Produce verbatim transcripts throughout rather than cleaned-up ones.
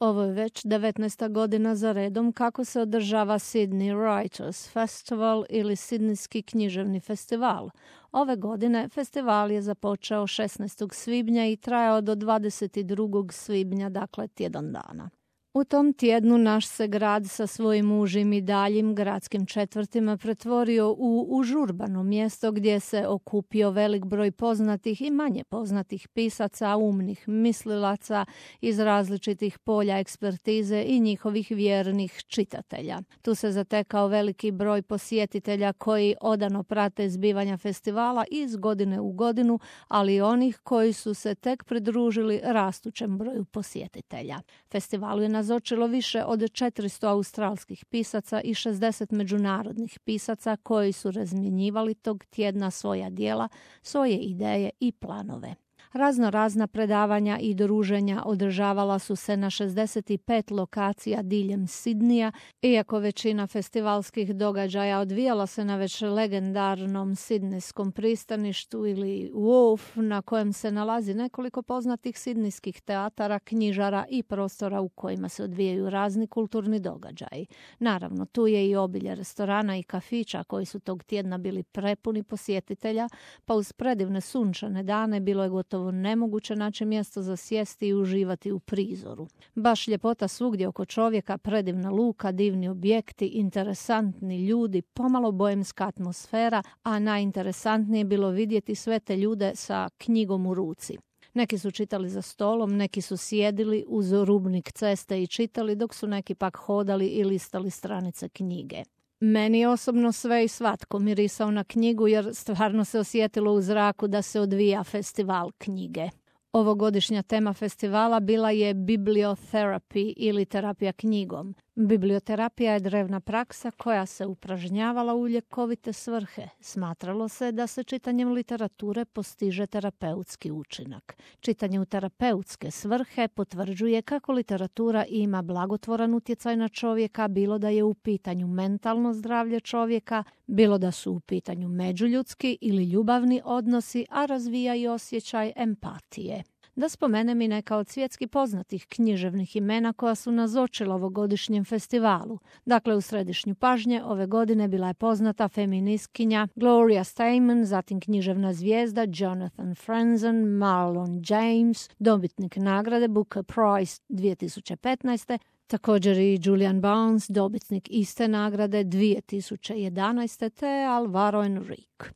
Ovo je već devetnaesta godina za redom kako se održava Sydney Writers Festival ili Sidnijski književni festival. Ove godine festival je započeo šesnaestog svibnja i trajao do dvadeset drugog svibnja, dakle tjedan dana. U tom tjednu naš se grad sa svojim užim i daljim gradskim četvrtima pretvorio u užurbano mjesto gdje se okupio velik broj poznatih i manje poznatih pisaca, umnih mislilaca iz različitih polja ekspertize i njihovih vjernih čitatelja. Tu se zatekao veliki broj posjetitelja koji odano prate zbivanja festivala iz godine u godinu, ali i onih koji su se tek pridružili rastućem broju posjetitelja. Festivalu je nazočilo više od četiristo australskih pisaca i šezdeset međunarodnih pisaca koji su razmjenjivali tog tjedna svoja djela, svoje ideje i planove. Razno razna predavanja i druženja održavala su se na šezdeset pet lokacija diljem Sidnija, iako većina festivalskih događaja odvijala se na već legendarnom sidnijskom pristaništu ili Wharf, na kojem se nalazi nekoliko poznatih sidnijskih teatara, knjižara i prostora u kojima se odvijaju razni kulturni događaji. Naravno, tu je i obilje restorana i kafića koji su tog tjedna bili prepuni posjetitelja, pa uz predivne sunčane dane bilo je gotovo nemoguće naći mjesto za sjesti i uživati u prizoru. Baš ljepota svugdje oko čovjeka, predivna luka, divni objekti, interesantni ljudi, pomalo bojemska atmosfera, a najinteresantnije je bilo vidjeti sve te ljude sa knjigom u ruci. Neki su čitali za stolom, neki su sjedili uz rubnik ceste i čitali, dok su neki pak hodali i listali stranice knjige. Meni osobno sve i svatko mirisao na knjigu jer stvarno se osjetilo u zraku da se odvija festival knjige. Ovogodišnja tema festivala bila je bibliotherapy ili terapija knjigom. Biblioterapija je drevna praksa koja se upražnjavala u ljekovite svrhe. Smatralo se da se čitanjem literature postiže terapeutski učinak. Čitanje u terapeutske svrhe potvrđuje kako literatura ima blagotvoran utjecaj na čovjeka, bilo da je u pitanju mentalno zdravlje čovjeka, bilo da su u pitanju međuljudski ili ljubavni odnosi, a razvija i osjećaj empatije. Da spomenem i neka od svjetski poznatih književnih imena koja su nazočila ovogodišnjem festivalu. Dakle, u središnju pažnje ove godine bila je poznata feministkinja Gloria Steinem, zatim književna zvijezda Jonathan Franzen, Marlon James, dobitnik nagrade Booker Prize dvije tisuće petnaeste, također i Julian Barnes, dobitnik iste nagrade dvije tisuće jedanaeste, te Alvaro Enrique.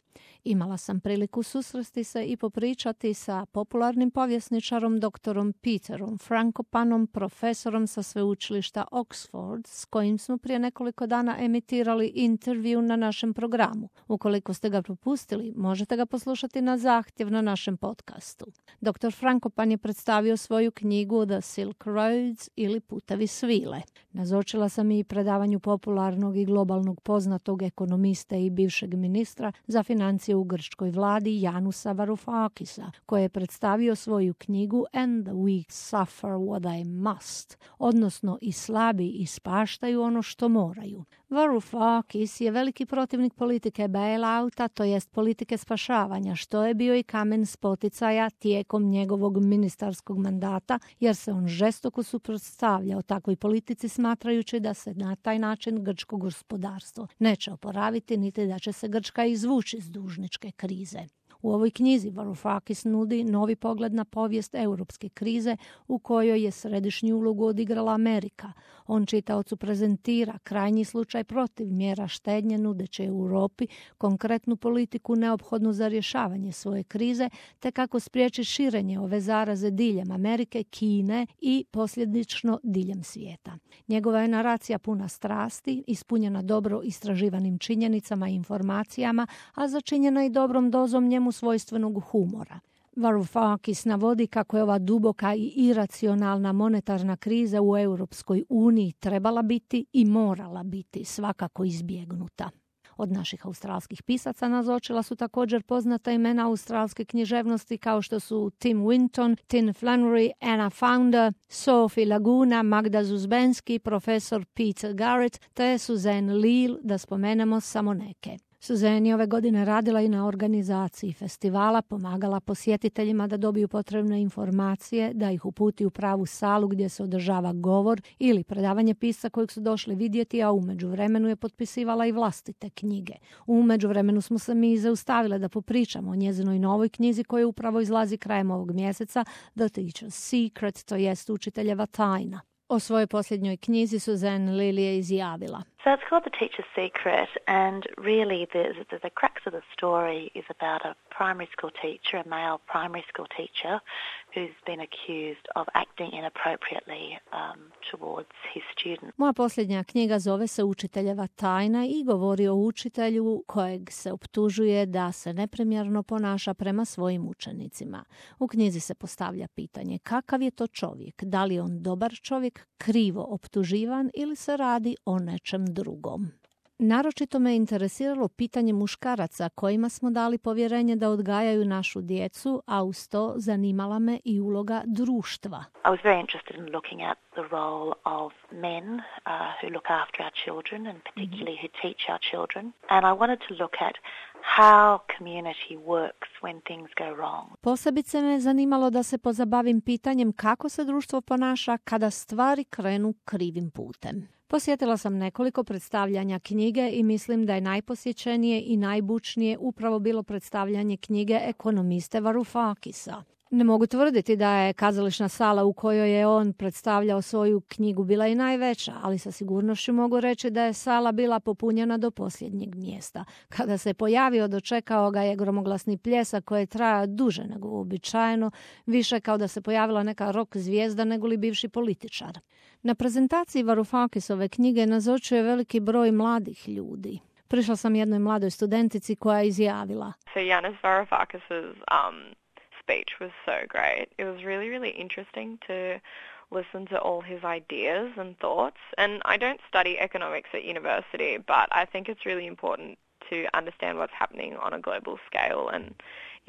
Imala sam priliku susresti se i popričati sa popularnim povjesničarom doktorom Peterom Frankopanom, profesorom sa sveučilišta Oxford, s kojim smo prije nekoliko dana emitirali intervju na našem programu. Ukoliko ste ga propustili, možete ga poslušati na zahtjev na našem podcastu. doktor Frankopan je predstavio svoju knjigu The Silk Roads ili Putevi svile. Nazočila sam i predavanju popularnog i globalnog poznatog ekonomiste i bivšeg ministra za financije u grčkoj vladi Janusa Varoufakisa, koji je predstavio svoju knjigu And the weak suffer what they must, odnosno i slabi ispaštaju ono što moraju. Varoufakis je veliki protivnik politike bailouta, to jest politike spašavanja, što je bio i kamen spoticaja tijekom njegovog ministarskog mandata, jer se on žestoko suprotstavljao takvoj politici, smatrajući da se na taj način grčko gospodarstvo neće oporaviti, niti da će se Grčka izvući iz dužničke krize. U ovoj knjizi Varoufakis nudi novi pogled na povijest europske krize u kojoj je središnju ulogu odigrala Amerika. On čitaocu prezentira krajnji slučaj protiv mjera štednje nudeće Europi konkretnu politiku neophodnu za rješavanje svoje krize, te kako spriječi širenje ove zaraze diljem Amerike, Kine i posljedično diljem svijeta. Njegova je naracija puna strasti, ispunjena dobro istraživanim činjenicama i informacijama, a začinjena i dobrom dozom njemu svojstvenog humora. Varoufakis navodi kako je ova duboka i iracionalna monetarna kriza u Europskoj uniji trebala biti i morala biti svakako izbjegnuta. Od naših australskih pisaca nazočila su također poznata imena australske književnosti kao što su Tim Winton, Tin Flannery, Anna Founder, Sophie Laguna, Magda Zuzbenski, profesor Peter Garrett te Suzanne Leal, da spomenemo samo neke. Suzanne je ove godine radila i na organizaciji festivala, pomagala posjetiteljima da dobiju potrebne informacije, da ih uputi u pravu salu gdje se održava govor ili predavanje pisca kojeg su došli vidjeti, a u međuvremenu je potpisivala i vlastite knjige. U međuvremenu smo se mi zaustavile da popričamo o njezinoj novoj knjizi koja upravo izlazi krajem ovog mjeseca, The Teacher's Secret, to jest učiteljeva tajna. O svojoj posljednjoj knjizi Suzanne Lilly je izjavila. So it's called The Teacher's Secret, and really the, the, the crux of the story is about a primary school teacher, a male primary school teacher, who's been accused of acting inappropriately um, towards his students. Moja posljednja knjiga zove se Učiteljeva tajna i govori o učitelju kojeg se optužuje da se neprimjerno ponaša prema svojim učenicima. U knjizi se postavlja pitanje kakav je to čovjek, da li je on dobar čovjek, krivo optuživan ili se radi o nečem drugom. Naročito me interesiralo pitanje muškaraca kojima smo dali povjerenje da odgajaju našu djecu, a uz to zanimala me i uloga društva. I was very interested in looking at the role of men uh, who look after our children and particularly who teach our children. And I wanted to look at how community works when things go wrong. Posebice me zanimalo da se pozabavim pitanjem kako se društvo ponaša kada stvari krenu krivim putem. Posjetila sam nekoliko predstavljanja knjige i mislim da je najposjećenije i najbučnije upravo bilo predstavljanje knjige ekonomiste Varoufakisa. Ne mogu tvrditi da je kazališna sala u kojoj je on predstavljao svoju knjigu bila i najveća, ali sa sigurnošću mogu reći da je sala bila popunjena do posljednjeg mjesta. Kada se pojavio, dočekao ga je gromoglasni pljesak koji je trajao duže nego uobičajeno, više kao da se pojavila neka rock zvijezda nego li bivši političar. Na prezentaciji Varoufakisove knjige nazočio je veliki broj mladih ljudi. Prišla sam jednoj mladoj studentici koja je izjavila. So Yanis Varoufakis's um speech was so great. It was really, really interesting to listen to all his ideas and thoughts. And I don't study economics at university, but I think it's really important to understand what's happening on a global scale and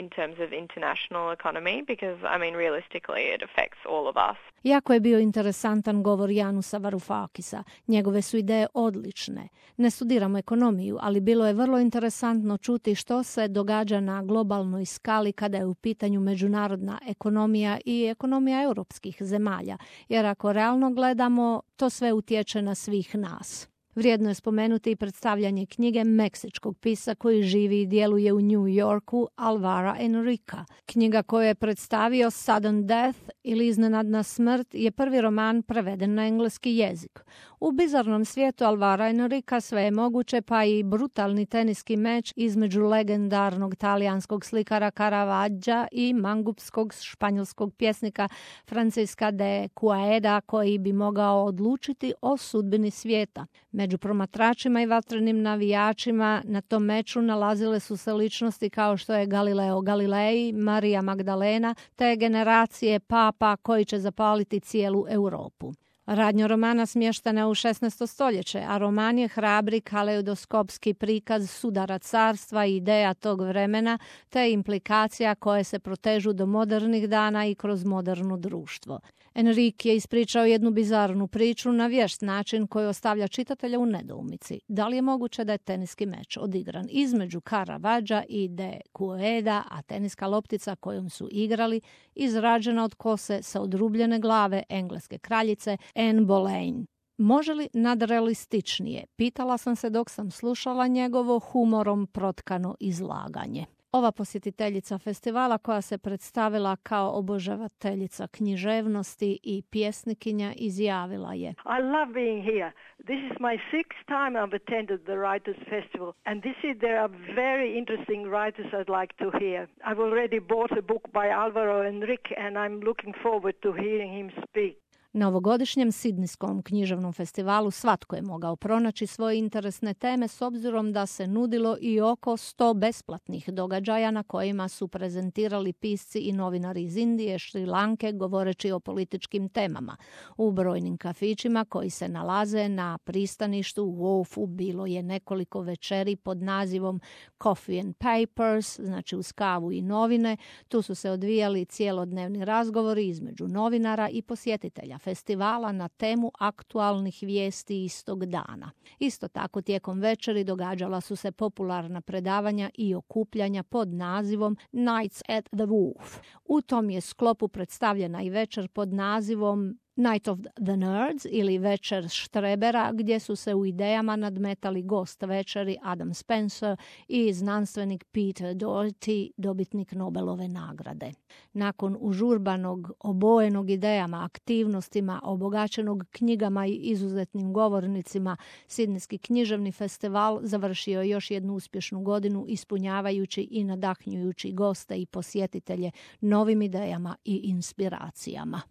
in terms of international economy, because, I mean, realistically, it affects all of us. Jako je bio interesantan govor Janusa Varoufakisa. Njegove su ideje odlične. Ne studiramo ekonomiju, ali bilo je vrlo interesantno čuti što se događa na globalnoj skali kada je u pitanju međunarodna ekonomija i ekonomija europskih zemalja. Jer ako realno gledamo, to sve utječe na svih nas. Vrijedno je spomenuti i predstavljanje knjige meksičkog pisca koji živi i djeluje u New Yorku, Alvara Enrica. Knjiga koju je predstavio Sudden Death ili Iznenadna smrt je prvi roman preveden na engleski jezik. U bizarnom svijetu Alvara Enrica sve je moguće, pa i brutalni teniski meč između legendarnog talijanskog slikara Caravaggia i mangupskog španjolskog pjesnika Francisca de Quevedo koji bi mogao odlučiti o sudbini svijeta. Među promatračima i vatrenim navijačima na tom meču nalazile su se ličnosti kao što je Galileo Galilei, Marija Magdalena te generacije papa koji će zapaliti cijelu Europu. Radnja romana smještena je u šesnaesto stoljeće, a roman je hrabri kaleidoskopski prikaz sudara carstva i ideja tog vremena te implikacija koje se protežu do modernih dana i kroz moderno društvo. Enrique je ispričao jednu bizarnu priču na vješt način koji ostavlja čitatelja u nedoumici. Da li je moguće da je teniski meč odigran između Caravaggia i de Quevedo, a teniska loptica kojom su igrali izrađena od kose sa odrubljene glave engleske kraljice Anne Boleyn. Može li nadrealističnije? Pitala sam se dok sam slušala njegovo humorom protkano izlaganje. Ova posjetiteljica festivala koja se predstavila kao obožavateljica književnosti i pjesnikinja izjavila je: I love being here. This is my sixth time I've attended the Writers' Festival, and this year there are very interesting writers I'd like to hear. I've already bought a book by Alvaro Enrique, and I'm looking forward to hearing him speak. Na ovogodišnjem Sidnijskom književnom festivalu svatko je mogao pronaći svoje interesne teme s obzirom da se nudilo i oko sto besplatnih događaja na kojima su prezentirali pisci i novinari iz Indije, Šri Lanke govoreći o političkim temama. U brojnim kafićima koji se nalaze na pristaništu u Wharfu bilo je nekoliko večeri pod nazivom Coffee and Papers, znači uz kavu i novine. Tu su se odvijali cijelodnevni razgovori između novinara i posjetitelja festivala na temu aktualnih vijesti istog dana. Isto tako tijekom večeri događala su se popularna predavanja i okupljanja pod nazivom Nights at the Wolf. U tom je sklopu predstavljena i večer pod nazivom Night of the Nerds ili Večer štrebera, gdje su se u idejama nadmetali gost večeri Adam Spencer i znanstvenik Peter Doherty, dobitnik Nobelove nagrade. Nakon užurbanog, obojenog idejama, aktivnostima, obogaćenog knjigama i izuzetnim govornicima, Sidnejski književni festival završio je još jednu uspješnu godinu ispunjavajući i nadahnjujući goste i posjetitelje novim idejama i inspiracijama.